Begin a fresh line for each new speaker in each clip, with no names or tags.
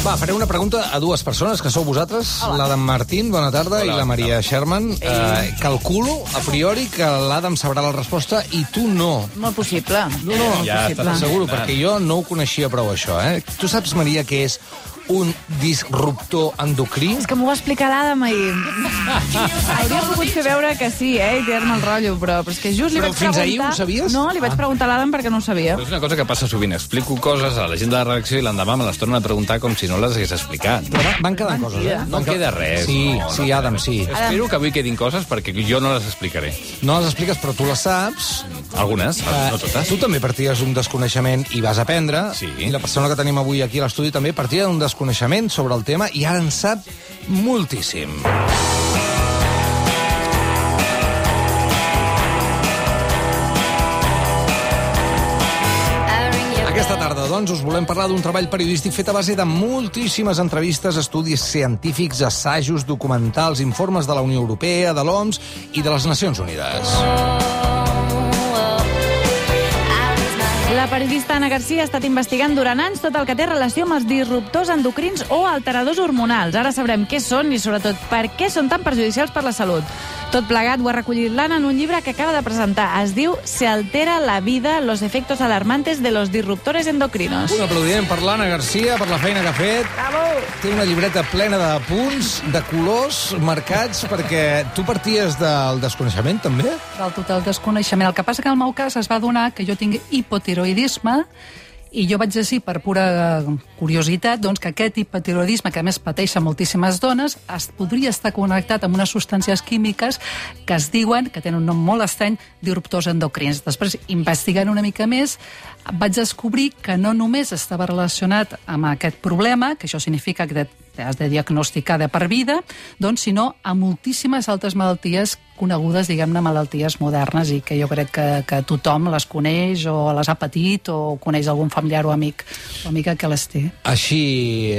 Va, faré una pregunta a dues persones, que sou vosaltres, l'Adam Martín, bona tarda, i la Maria Sherman. Calculo, a priori, que l'Adam sabrà la resposta i tu no.
Molt possible.
No,
Ja
possible.
Seguro, perquè jo no ho coneixia prou, això, eh? Tu saps, Maria, què és un disruptor endocrí?
És que m'ho va explicar l'Adam ahir. Hauria pogut fer veure que sí, i tirar-me el rotllo, però és que just li
Però
vaig
fins
preguntar...
ahir ho sabies?
No, li vaig preguntar a l'Adam perquè no ho sabia.
Però és una cosa que passa sovint. Explico coses a la gent de la redacció i l'endemà me les tornen a preguntar com si no les hagués explicat.
Però van quedar coses, eh?
No queda res.
Sí,
no,
sí, Adam, sí.
Espero que avui quedin coses perquè jo no les explicaré.
No les expliques, però tu les saps.
Algunes, no totes.
Tu també parties d'un desconeixement i vas aprendre.
Sí.
I la persona que tenim avui aquí a l'estudi també partia d'un desconeixement sobre el tema i ara en sap moltíssim. Aquesta tarda, doncs, us volem parlar d'un treball periodístic fet a base de moltíssimes entrevistes, estudis científics, assajos, documentals, informes de la Unió Europea, de l'OMS i de les Nacions Unides.
La periodista Ana Garcia ha estat investigant durant anys tot el que té relació amb els disruptors endocrins o alteradors hormonals. Ara sabrem què són i, sobretot, per què són tan perjudicials per la salut. Tot plegat ho ha recollit l'Anna en un llibre que acaba de presentar. Es diu Se altera la vida, los efectos alarmantes de los disruptores endocrinos.
Un aplaudiment per l'Anna Garcia, per la feina que ha fet.
Bravo!
Té una llibreta plena de punts, de colors marcats, perquè tu parties del desconeixement, també?
Del total desconeixement. El que passa que en el meu cas es va donar que jo tinc hipotiroidisme i jo vaig decidir, per pura curiositat, doncs, que aquest hipotiroidisme, que a més pateixen moltíssimes dones, podria estar connectat amb unes substàncies químiques que es diuen, que tenen un nom molt estrany, disruptors endocrins. Després, investigant una mica més, vaig descobrir que no només estava relacionat amb aquest problema, que això significa que has de diagnosticar de per vida, doncs, sinó a moltíssimes altres malalties conegudes, diguem-ne, malalties modernes i que jo crec que tothom les coneix o les ha patit o coneix algun familiar o amic o amiga que les té.
Així,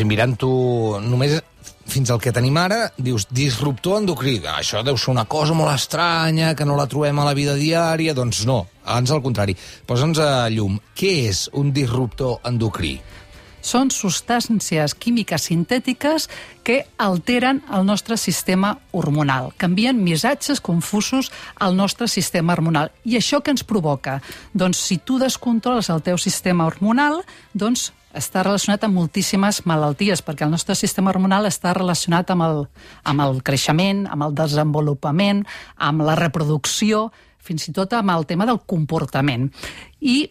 mirant-ho només fins al que tenim ara, dius disruptor endocrí. Això deu ser una cosa molt estranya, que no la trobem a la vida diària. Doncs no, abans al contrari. Posa'ns a llum. Què és un disruptor endocrí?
Són substàncies químiques sintètiques que alteren el nostre sistema hormonal, canvien missatges confusos al nostre sistema hormonal. I això què ens provoca? Doncs si tu descontroles el teu sistema hormonal, doncs està relacionat amb moltíssimes malalties, perquè el nostre sistema hormonal està relacionat amb el creixement, amb el desenvolupament, amb la reproducció, fins i tot amb el tema del comportament. I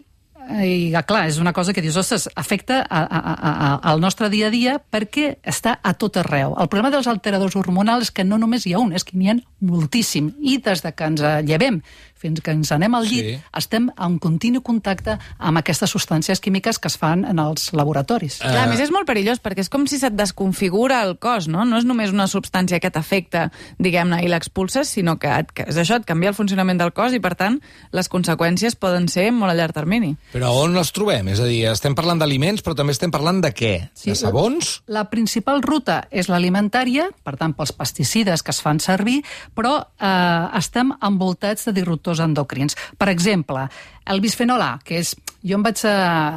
clar, és una cosa que dius, ostres, afecta al nostre dia a dia perquè està a tot arreu. El problema dels alteradors hormonals és que no només hi ha un, és que n'hi ha moltíssim. I des de que ens llevem fins que ens anem al llit, estem en continu contacte amb aquestes substàncies químiques que es fan en els laboratoris.
Clar, a més és molt perillós, perquè és com si se't desconfigura el cos, no? No és només una substància que t'afecta, diguem-ne, i l'expulses, sinó que és això, et canvia el funcionament del cos i, per tant, les conseqüències poden ser molt a llarg termini.
Però on les trobem? És a dir, estem parlant d'aliments, però també estem parlant de què?
Sí,
de sabons?
La principal ruta és l'alimentària, per tant, pels pesticides que es fan servir, però estem envoltats de disruptors endocrins. Per exemple, el bisfenol A, que és... Jo em vaig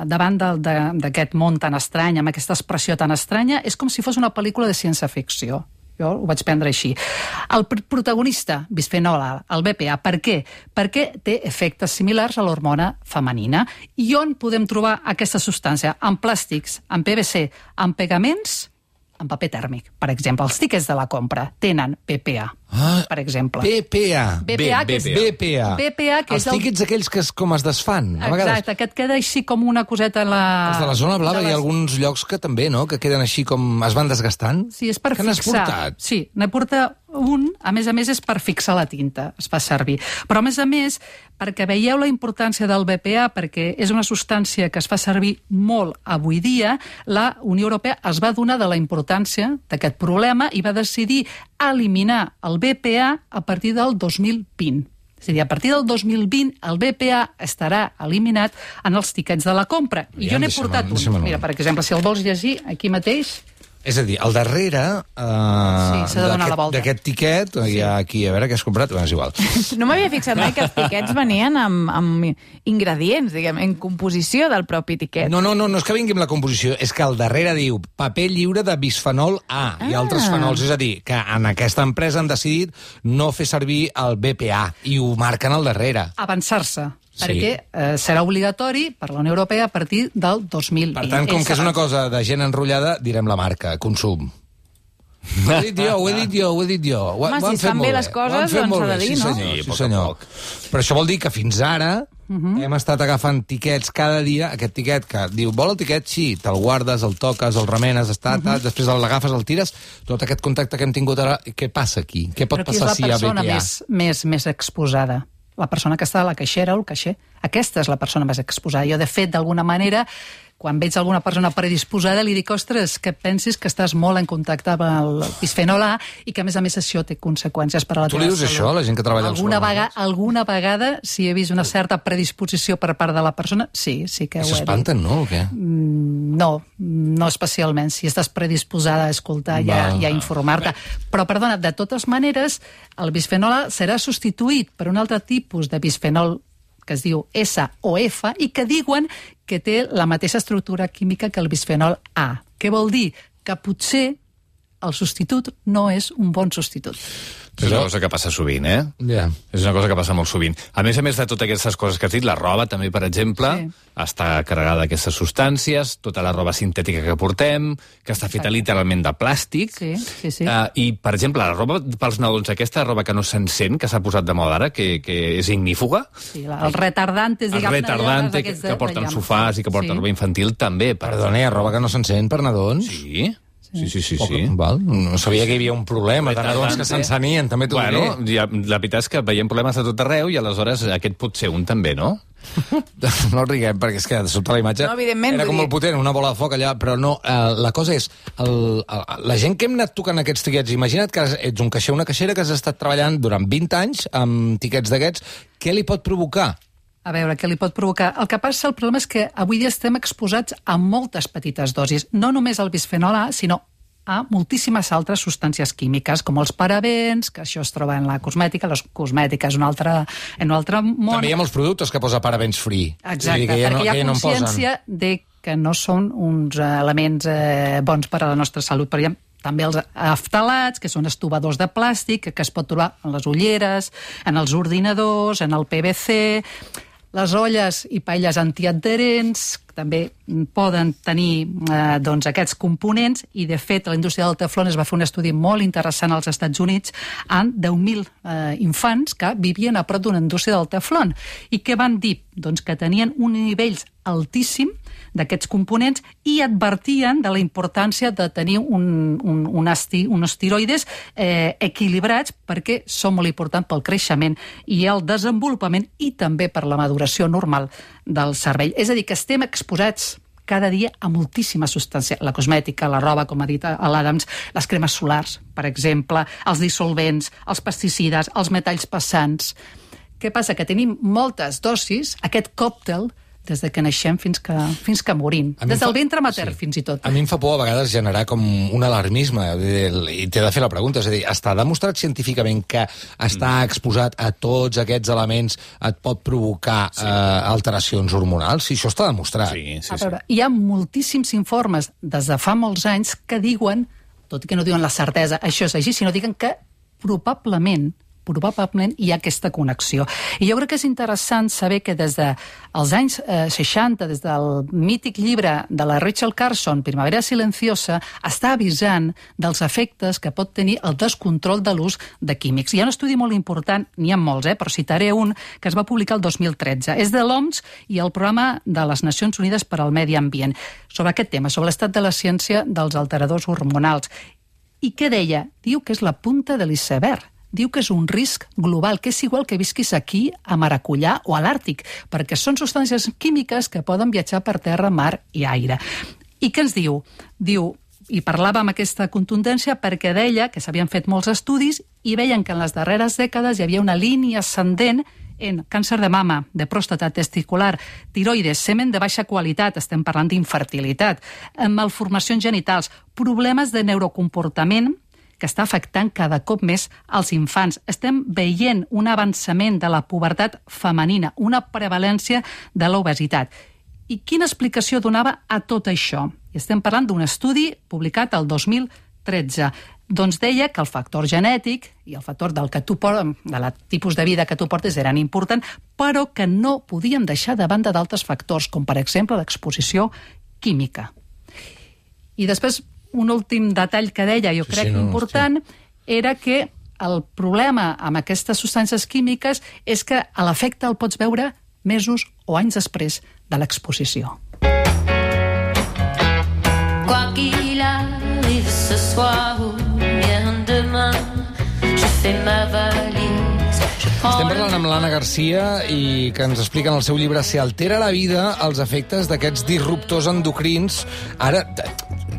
davant d'aquest món tan estrany, amb aquesta expressió tan estranya, és com si fos una pel·lícula de ciència-ficció. Jo ho vaig prendre així. El protagonista, bisfenol A, el BPA, per què? Perquè té efectes similars a l'hormona femenina. I on podem trobar aquesta substància? En plàstics, en PVC, en pegaments, en paper tèrmic. Per exemple, els tiquets de la compra tenen BPA, per exemple.
BPA.
BPA, que és...
BPA.
BPA, que
els
és el...
tiquets aquells que com es desfan. A vegades.
Exacte, que et queda així com una coseta en la...
Els de la zona blava hi ha alguns llocs que també, no?, que queden així com es van desgastant.
Sí, és per
fixar. Que n'has portat?
Sí, n'he portat un, a més és per fixar la tinta, es fa servir. Però a més, perquè veieu la importància del BPA, perquè és una substància que es fa servir molt avui dia, la Unió Europea es va donar de la importància d'aquest problema i va decidir eliminar el BPA a partir del 2020. És a dir, a partir del 2020 el BPA estarà eliminat en els tiquets de la compra. I jo n'he portat un. Mira, per exemple, si el vols llegir, aquí mateix
És a dir, al darrere
s'ha de donar la volta.
d'aquest tiquet, hi ha aquí, a veure què has comprat, és igual.
No m'havia fixat mai que els tiquets venien amb ingredients, diguem, en composició del propi tiquet.
No és que vingui amb la composició, és que al darrere diu paper lliure de bisfenol A i altres fenols, és a dir, que en aquesta empresa han decidit no fer servir el BPA i ho marquen al darrere.
Avançar-se. Perquè serà obligatori per la Unió Europea a partir del 2020.
Per tant, com que és una cosa de gent enrotllada, direm la marca, consum. Ho he dit jo.
Home, si es fan bé les coses, doncs s'ha de dir, no?
Sí, senyor. Però això vol dir que fins ara hem estat agafant tiquets cada dia, aquest tiquet que diu, vol el tiquet? Sí, te'l guardes, el toques, el remenes, després l'agafes, el tires, tot aquest contacte que hem tingut ara, què passa aquí? Què pot passar si hi ha BPA?
Però qui és la persona més exposada? La persona que està a la caixera o el caixer. Aquesta és la persona més exposada. Jo, de fet, d'alguna manera, quan veig alguna persona predisposada, li dic, ostres, que pensis que estàs molt en contacte amb el bisfenol A i que, a més, això té conseqüències per a la teva salut.
Tu li dius això a la gent que treballa als supermercats?
Alguna vegada, si he vist una certa predisposició per part de la persona, sí que ho he dit.
S'espanten, no, o què?
No especialment. Si estàs predisposada a escoltar i a informar-te. Però, perdona, de totes maneres, el bisfenol A serà substituït per un altre tipus de bisfenol que es diu S o F i que diuen que té la mateixa estructura química que el bisfenol A. Què vol dir? Que potser el substitut no és un bon substitut.
És una cosa que passa sovint,
Ja.
És una cosa que passa molt sovint. A més de totes aquestes coses que has dit, la roba també, per exemple, està carregada d'aquestes substàncies, tota la roba sintètica que portem, que està feta literalment de plàstic.
Sí.
I, per exemple, la roba pels nadons, aquesta roba que no s'encén, que s'ha posat de moda ara, que és ignífuga.
Sí, els retardantes, diguem-ne.
Els retardantes que porten sofàs i que porten roba infantil, també.
Perdona, hi ha roba que no s'encén per nadons?
Sí.
Val. No sabia que hi havia un problema de nadons que s'encenien, també t'ho diré.
La veritat és que veiem problemes a tot arreu i aleshores aquest pot ser un també, no?
No riguem, perquè és que de sobte la imatge era com molt potent, una bola de foc allà, però no, la cosa és, la gent que hem anat tocant aquests tiquets, imagina't que ets un caixer o una caixera que has estat treballant durant 20 anys amb tiquets d'aquests, què li pot provocar?
A veure, què li pot provocar? El que passa, el problema és que avui dia estem exposats a moltes petites dosis, no només al bisfenol A, sinó a moltíssimes altres substàncies químiques, com els parabens, que això es troba en la cosmètica, la cosmètica és un altre món.
També hi ha molts productes que posa parabens free.
Exacte, perquè hi ha consciència de que no són uns elements bons per a la nostra salut, però hi ha també els aftalats, que són estovadors de plàstic, que es pot trobar en les ulleres, en els ordinadors, en el PVC. Les olles i paelles antiadherents també poden tenir aquests components i, de fet, la indústria del teflon es va fer un estudi molt interessant als Estats Units amb 10.000 infants que vivien a prop d'una indústria del teflon. I què van dir? Doncs que tenien un nivell altíssim d'aquests components i advertien de la importància de tenir uns tiroides equilibrats perquè són molt importants pel creixement i el desenvolupament i també per la maduració normal del cervell. És a dir, que estem exposats cada dia a moltíssima substància. La cosmètica, la roba, com ha dit l'Adams, les cremes solars, per exemple, els dissolvents, els pesticides, els metalls pesants. Què passa? Que tenim moltes dosis, aquest còctel, des de que naixem fins que morim. Des del ventre matern, fins i tot.
A mi em fa por a vegades generar com un alarmisme i t'he de fer la pregunta. És a dir, està demostrat científicament que estar exposat a tots aquests elements et pot provocar alteracions hormonals? Si això està demostrat.
Sí.
A veure, hi ha moltíssims informes des de fa molts anys que diuen, tot i que no diuen la certesa, això és així, sinó diuen que probablement hi ha aquesta connexió. I jo crec que és interessant saber que des dels anys 60, des del mític llibre de la Rachel Carson, Primavera silenciosa, està avisant dels efectes que pot tenir el descontrol de l'ús de químics. Hi ha un estudi molt important, n'hi ha molts, però citaré un que es va publicar el 2013. És de l'OMS i el Programa de les Nacions Unides per al Medi Ambient, sobre aquest tema, sobre l'estat de la ciència dels alteradors hormonals. I què deia? Diu que és la punta de l'iceberg. Diu que és un risc global, que és igual que visquis aquí a Maracullà o a l'Àrtic, perquè són substàncies químiques que poden viatjar per terra, mar i aire. I què ens diu? Diu, i parlava amb aquesta contundència perquè deia que s'havien fet molts estudis i veien que en les darreres dècades hi havia una línia ascendent en càncer de mama, de pròstata, testicular, tiroides, semen de baixa qualitat, estem parlant d'infertilitat, malformacions genitals, problemes de neurocomportament que està afectant cada cop més als infants. Estem veient un avançament de la pubertat femenina, una prevalència de l'obesitat. I quina explicació donava a tot això? I estem parlant d'un estudi publicat el 2013. Doncs deia que el factor genètic i el factor del tipus de vida que tu portes eren importants, però que no podíem deixar de banda d'altres factors, com per exemple l'exposició química. I després, un últim detall que deia, jo crec important, era que el problema amb aquestes substàncies químiques és que l'efecte el pots veure mesos o anys després de l'exposició.
Quoi qu'il arrive ce soir ou bien demain, je fais ma valise.
Estem parlant amb l'Anna Garcia i que ens explica en el seu llibre Si altera la vida els efectes d'aquests disruptors endocrins. Ara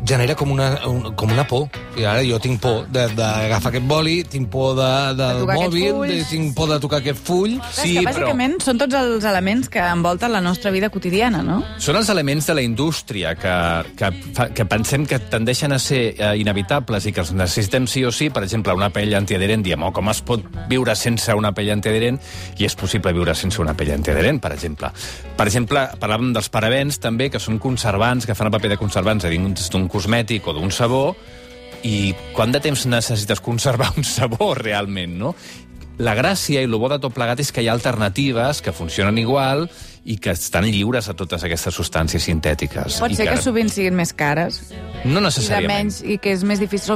genera com una por. I ara jo tinc por d'agafar aquest boli, tinc por del mòbil, tinc por de tocar aquest full.
Sí, que bàsicament són tots els elements que envolten la nostra vida quotidiana, no?
Són els elements de la indústria que pensem que tendeixen a ser inevitables i que els necessitem sí o sí. Per exemple, una pell antiadherent, diem, com es pot viure sense una pell antiadherent? I és possible viure sense una pell antiadherent, per exemple. Per exemple, parlàvem dels parabens, també, que són conservants, que fan el paper de conservants dins d'un cosmètic o d'un sabó, i quant de temps necessites conservar un sabó realment, no? La gràcia i el bo de tot plegat és que hi ha alternatives que funcionen igual i que estan lliures a totes aquestes substàncies sintètiques.
Pot ser que sovint siguin més cares?
No necessàriament.
I que són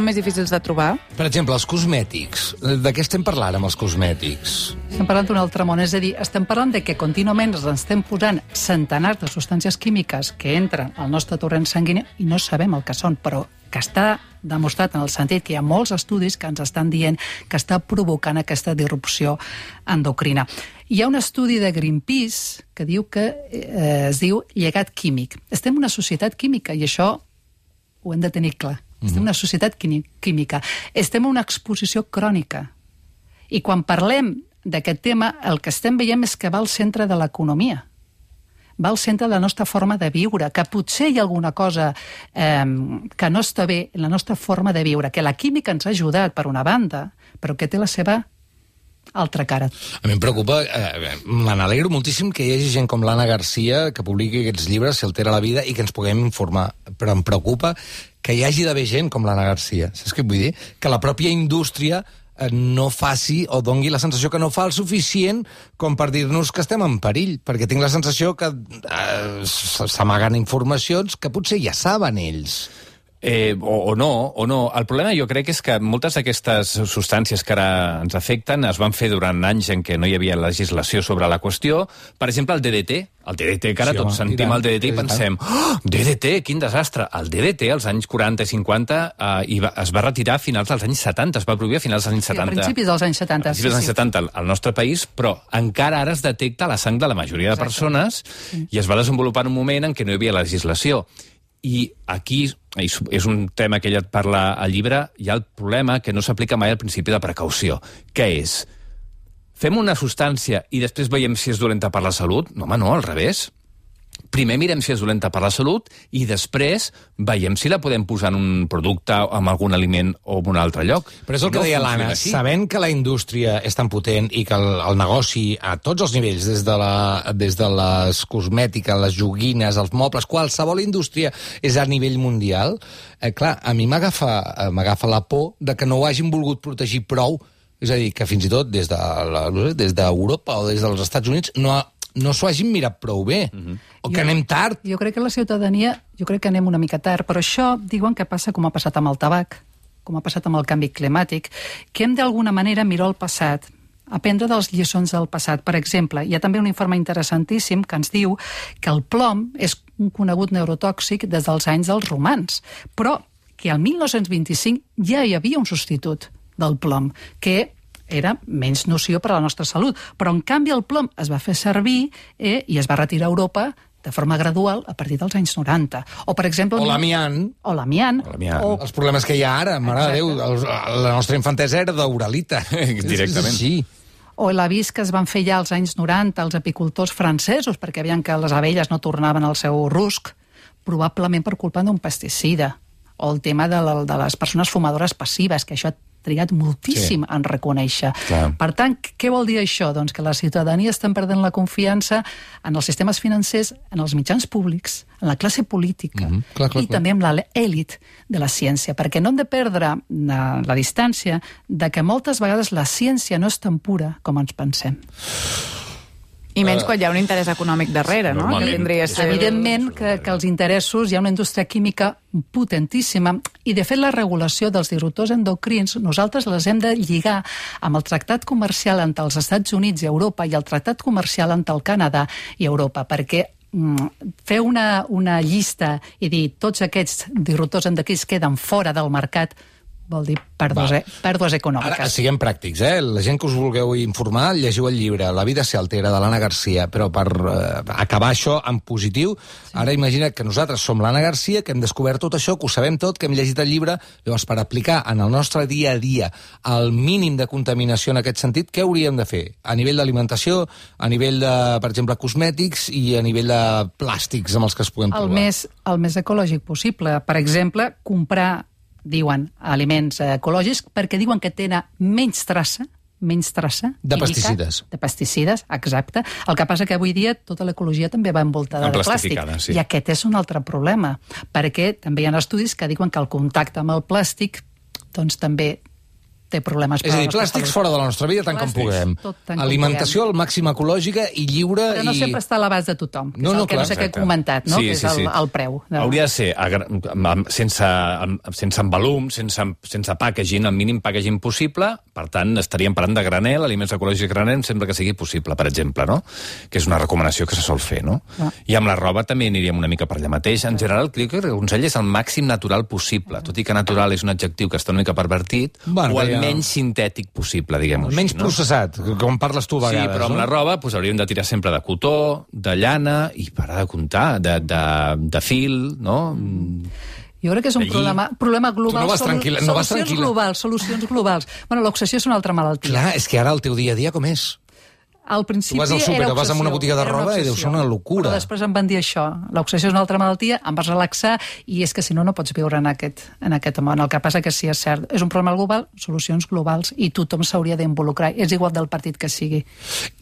més difícils de trobar?
Per exemple, els cosmètics. De què estem parlant amb els cosmètics?
Estem parlant d'un altre món, és a dir, estem parlant de que contínuament ens estem posant centenars de substàncies químiques que entren al nostre torrent sanguini i no sabem el que són, però que està demostrat en el sentit que hi ha molts estudis que ens estan dient que està provocant aquesta disrupció endocrina. Hi ha un estudi de Greenpeace que diu que es diu llegat químic. Estem en una societat química i això ho hem de tenir clar. Estem en una societat química. Estem en una exposició crònica. I quan parlem d'aquest tema, el que estem veient és que va al centre de l'economia. Va al centre de la nostra forma de viure, que potser hi ha alguna cosa que no està bé en la nostra forma de viure, que la química ens ha ajudat per una banda, però que té la seva altra cara.
A mi em preocupa, me n'alegro moltíssim que hi hagi gent com l'Anna Garcia que publiqui aquests llibres, Si altera la vida, i que ens puguem informar, però em preocupa que hi hagi d'haver gent com l'Anna Garcia. Saps què vull dir? Que la pròpia indústria no faci o dongui la sensació que no fa el suficient com per dir-nos que estem en perill, perquè tinc la sensació que s'amaguen informacions que potser ja saben ells.
O no. El problema jo crec és que moltes d'aquestes substàncies que ara ens afecten es van fer durant anys en què no hi havia legislació sobre la qüestió. Per exemple, el DDT. El DDT, que ara tots sentim el DDT i pensem DDT, quin desastre. El DDT als anys 40 i 50 es va retirar a finals dels anys 70, es va prohibir a finals dels anys 70.
Sí, a principis dels anys 70.
A principis dels anys 70 al nostre país, però encara ara es detecta la sang de la majoria de persones i es va desenvolupar en un moment en què no hi havia legislació. I aquí, és un tema que ella et parla al llibre, hi ha el problema que no s'aplica mai al principi de precaució. Què és? Fem una substància i després veiem si és dolenta per la salut? No, home, no, al revés. Primer mirem si és dolenta per la salut i després veiem si la podem posar en un producte, en algun aliment o en un altre lloc.
Però és el que deia l'Anna, sabent que la indústria és tan potent i que el negoci a tots els nivells, des de les cosmètiques, les joguines, els mobles, qualsevol indústria és a nivell mundial, clar, a mi m'agafa la por de que no ho hagin volgut protegir prou. És a dir, que fins i tot des d'Europa o des dels Estats Units no s'ho hagin mirat prou bé, o que anem tard.
Jo crec que la ciutadania, que anem una mica tard, però això diuen que passa com ha passat amb el tabac, com ha passat amb el canvi climàtic, que hem d'alguna manera mirar el passat, aprendre de les lliçons del passat. Per exemple, hi ha també un informe interessantíssim que ens diu que el plom és un conegut neurotòxic des dels anys dels romans, però que al 1925 ja hi havia un substitut del plom, que era menys nociu per a la nostra salut. Però, en canvi, el plom es va fer servir i es va retirar a Europa de forma gradual a partir dels anys 90. O, per exemple...
O l'amiant. Els problemes que hi ha ara, mare de Déu, la nostra infantesa era d'uralita.
Directament.
Sí.
o l'avís que es van fer ja als anys 90 als apicultors francesos perquè veien que les abelles no tornaven al seu rusc, probablement per culpa d'un pesticida, o el tema de les persones fumadores passives, que això ha trigat moltíssim en reconèixer.
Clar.
Per tant, què vol dir això? Doncs que la ciutadania està perdent la confiança en els sistemes financers, en els mitjans públics, en la classe política i també en l'elit de la ciència, perquè no hem de perdre la distància de que moltes vegades la ciència no és tan pura com ens pensem.
I menys quan hi ha un interès econòmic darrere, no? Que vindria a ser...
Evidentment que els interessos, hi ha una indústria química potentíssima i, de fet, la regulació dels disruptors endocrins nosaltres les hem de lligar amb el tractat comercial entre els Estats Units i Europa i el tractat comercial entre el Canadà i Europa, perquè fer una llista i dir tots aquests disruptors endocrins queden fora del mercat vol dir pèrdues econòmiques.
Ara, siguem pràctics, La gent que us vulgueu informar, llegiu el llibre La vida se altera, de l'Anna Garcia, però per acabar això en positiu, ara imagina't que nosaltres som l'Anna Garcia, que hem descobert tot això, que ho sabem tot, que hem llegit el llibre, llavors per aplicar en el nostre dia a dia el mínim de contaminació en aquest sentit, què hauríem de fer? A nivell d'alimentació, a nivell de, per exemple, cosmètics i a nivell de plàstics amb els que es puguem trobar.
El més ecològic possible. Per exemple, comprar diuen aliments ecològics perquè diuen que tenen menys traça
de pesticides.
De pesticides, exacte. El que passa que avui dia tota l'ecologia també va envoltada de plàstic.
Sí.
I aquest és un altre problema, perquè també hi ha estudis que diuen que el contacte amb el plàstic doncs també té problemes.
És a dir, plàstics fora de la nostra vida tant com puguem. Alimentació al màxim ecològica i lliure.
Però no sempre està a l'abast de tothom, que és el que no sé què he comentat, no? Que és el preu.
Hauria de ser sense envolum, sense packaging, el mínim packaging possible, per tant, estaríem parlant de granel, aliments ecològics granel, sempre que sigui possible, per exemple, no? Que és una recomanació que se sol fer, no? I amb la roba també aniríem una mica per allà mateix. En general, crec que el consell és el màxim natural possible, tot i que natural és un adjectiu que està una mica pervertit, o el menys sintètic possible, diguem-ho així.
Menys processat, com parles tu a vegades.
Sí, però amb la roba hauríem de tirar sempre de cotó, de llana, i parar de comptar, de fil, no?
Jo crec que és un problema global.
Tu no vas tranquil·la.
Solucions globals. Bueno, l'obsessió és una altra malaltia.
Clar, és que ara el teu dia a dia com és?
Al principi
tu vas al súper o vas a una botiga de roba i deu ser una locura.
Però després em van dir això. L'obsessió és una altra malaltia, em vas relaxar i és que si no, no pots viure en aquest món. El que passa que sí, és cert, és un problema global, solucions globals i tothom s'hauria d'involucrar. És igual del partit que sigui.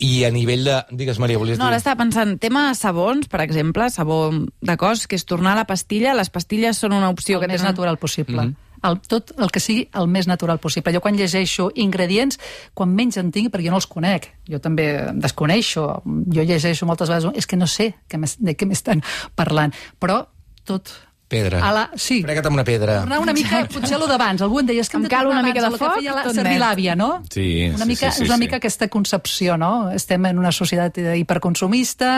I a nivell de... Digues, Maria, volies dir?
No, ara estava pensant, tema sabons, per exemple, sabó de cos, que és tornar a la pastilla. Les pastilles són una opció
que més natural possible. Tot el que sigui el més natural possible. Jo quan llegeixo ingredients, quan menys en tinc, perquè jo no els conec, jo també desconeixo, jo llegeixo moltes vegades, és que no sé de què m'estan parlant, però tot...
Pedra.
Sí.
Frega't amb una pedra.
Tornar una mica, potser allò d'abans. Algú em deia, és que
em cal una mica de foc,
servir l'àvia, no?
Sí,
és una mica aquesta concepció, no? Estem en una societat hiperconsumista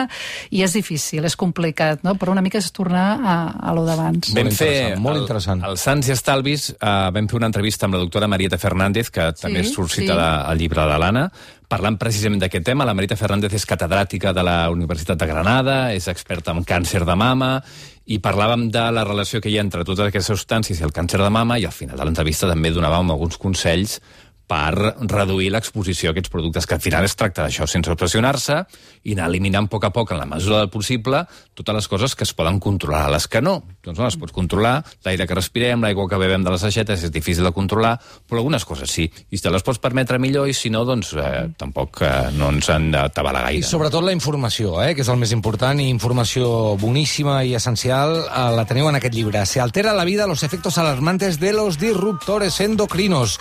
i és difícil, és complicat, no? Però una mica és tornar a allò d'abans.
Vam fer,
molt interessant.
Al Sants i Estalvis, vam fer una entrevista amb la doctora Marieta Fernández, que també és suscitada al llibre de l'Anna, parlant precisament d'aquest tema. La Marieta Fernández és catedràtica de la Universitat de Granada, és experta en càncer de mama, i parlàvem de la relació que hi ha entre totes aquestes substàncies i el càncer de mama, i al final de l'entrevista també donàvem alguns consells per reduir l'exposició a aquests productes, que al final es tracta d'això, sense obsessionar-se, i anar eliminant a poc, en la mesura del possible, totes les coses que es poden controlar. Les que no, doncs no les pots controlar. L'aire que respirem, l'aigua que bevem de les aixetes, és difícil de controlar, però algunes coses sí. I si te les pots permetre millor, i si no, doncs tampoc no ens han d'atabalar gaire.
I sobretot la informació, que és el més important, i informació boníssima i essencial, la teniu en aquest llibre. Se altera la vida, los efectos alarmantes de los disruptores endocrinos.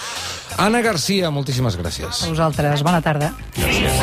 Anna Garcia, moltíssimes gràcies.
A vosaltres, bona tarda.
Gràcies.